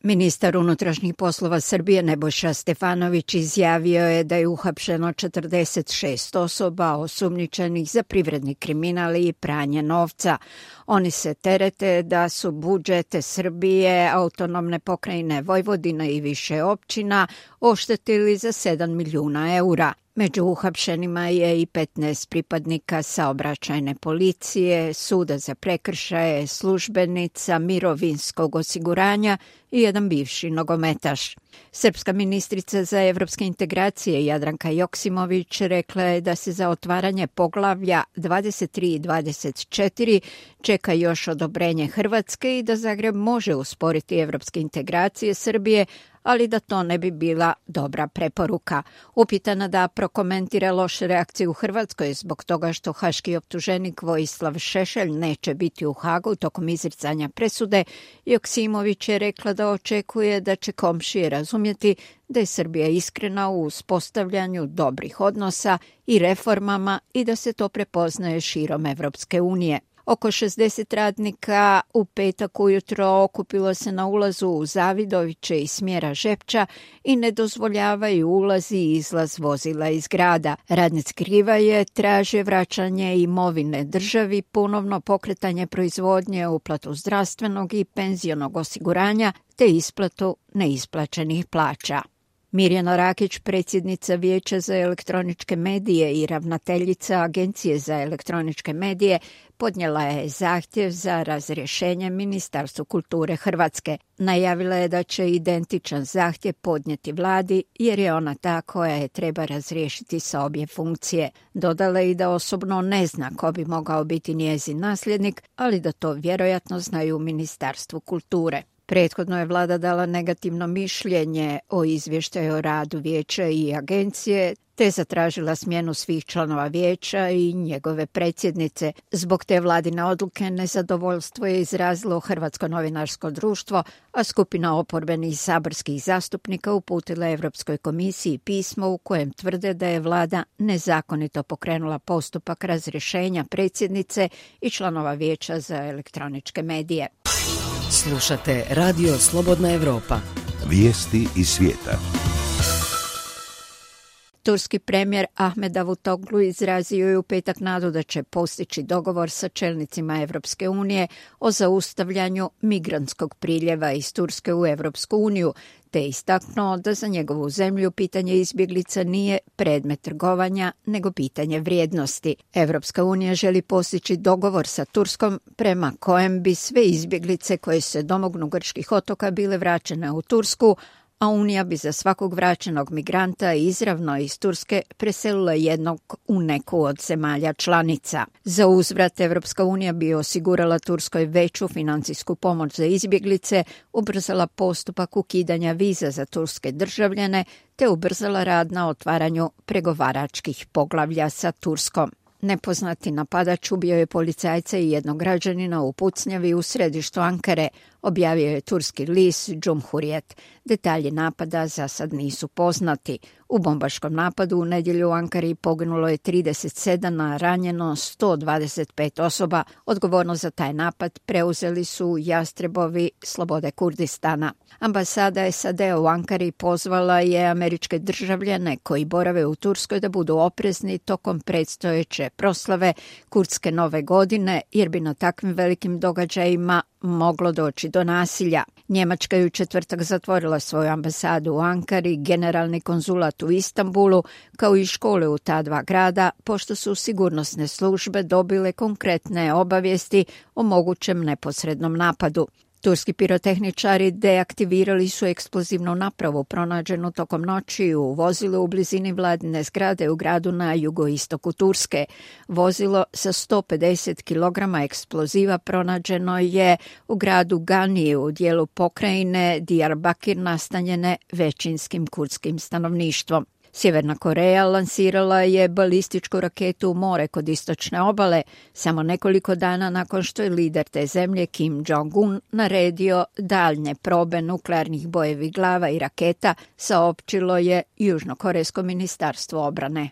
Ministar unutrašnjih poslova Srbije Nebojša Stefanović izjavio je da je uhapšeno 46 osoba osumnjičenih za privredni kriminal i pranje novca. Oni se terete da su budžete Srbije, autonomne pokrajine Vojvodine i više općina oštetili za 7 milijuna eura. Među uhapšenima je i 15 pripadnika saobraćajne policije, suda za prekršaje, službenica mirovinskog osiguranja i jedan bivši nogometaš. Srpska ministrica za evropske integracije Jadranka Joksimović rekla je da se za otvaranje poglavlja 23 i 24 čeka još odobrenje Hrvatske i da Zagreb može usporiti evropske integracije Srbije, ali da to ne bi bila dobra preporuka. Upitana da prokomentira loše reakcije u Hrvatskoj zbog toga što haški optuženik Vojislav Šešelj neće biti u Hagu tokom izricanja presude, Joksimović je rekla da očekuje da će komšije razumjeti da je Srbija iskrena u uspostavljanju dobrih odnosa i reformama i da se to prepoznaje širom Evropske unije. Oko 60 radnika u petak ujutro okupilo se na ulazu u Zavidoviće iz smjera Žepča i ne dozvoljavaju ulaz i izlaz vozila iz grada. Radnici Krivaje traže vraćanje imovine državi, ponovno pokretanje proizvodnje, uplatu zdravstvenog i penzionog osiguranja te isplatu neisplaćenih plaća. Mirjana Rakić, predsjednica Vijeća za elektroničke medije i ravnateljica Agencije za elektroničke medije, podnijela je zahtjev za razrješenje Ministarstvu kulture Hrvatske. Najavila je da će identičan zahtjev podnijeti vladi jer je ona ta koja je treba razriješiti sa obje funkcije. Dodala je i da osobno ne zna ko bi mogao biti njezin nasljednik, ali da to vjerojatno znaju u Ministarstvu kulture. Prethodno je vlada dala negativno mišljenje o izvještaju o radu vijeća i agencije, te zatražila smjenu svih članova vijeća i njegove predsjednice. Zbog te vladine odluke nezadovoljstvo je izrazilo Hrvatsko novinarsko društvo, a skupina oporbenih saborskih zastupnika uputila Europskoj komisiji pismo u kojem tvrde da je vlada nezakonito pokrenula postupak razrješenja predsjednice i članova vijeća za elektroničke medije. Slušate Radio Slobodna Evropa. Vijesti iz svijeta. Turski premijer Ahmed Davutoglu izrazio je u petak nadu da će postići dogovor sa čelnicima Evropske unije o zaustavljanju migrantskog priljeva iz Turske u Evropsku uniju, te istaknuo da za njegovu zemlju pitanje izbjeglica nije predmet trgovanja, nego pitanje vrijednosti. Evropska unija želi postići dogovor sa Turskom prema kojem bi sve izbjeglice koje se domognu grčkih otoka bile vraćene u Tursku, a Unija bi za svakog vraćenog migranta izravno iz Turske preselila jednog u neku od zemalja članica. Za uzvrat Evropska unija bi osigurala Turskoj veću financijsku pomoć za izbjeglice, ubrzala postupak ukidanja viza za turske državljane, te ubrzala rad na otvaranju pregovaračkih poglavlja sa Turskom. Nepoznati napadač ubio je policajca i jednog građanina u pucnjavi u središtu Ankare, objavio je turski list Cumhuriyet. Detalji napada za sad nisu poznati. U bombaškom napadu u nedjelju u Ankari poginulo je 37, a ranjeno 125 osoba. Odgovornost za taj napad preuzeli su Jastrebovi Slobode Kurdistana. Ambasada SAD u Ankari pozvala je američke državljane koji borave u Turskoj da budu oprezni tokom predstojeće proslave kurdske nove godine, jer bi na takvim velikim događajima moglo doći do nasilja. Njemačka je u četvrtak zatvorila svoju ambasadu u Ankari, generalni konzulat u Istanbulu, kao i škole u ta dva grada, pošto su sigurnosne službe dobile konkretne obavijesti o mogućem neposrednom napadu. Turski pirotehničari deaktivirali su eksplozivnu napravu pronađenu tokom noći u vozilu u blizini vladine zgrade u gradu na jugoistoku Turske. Vozilo sa 150 kg eksploziva pronađeno je u gradu Gani u dijelu pokrajine Diyarbakir nastanjene većinskim kurdskim stanovništvom. Sjeverna Koreja lansirala je balističku raketu u more kod istočne obale, samo nekoliko dana nakon što je lider te zemlje Kim Jong-un naredio daljnje probe nuklearnih bojevih glava i raketa, saopćilo je Južnokorejsko ministarstvo obrane.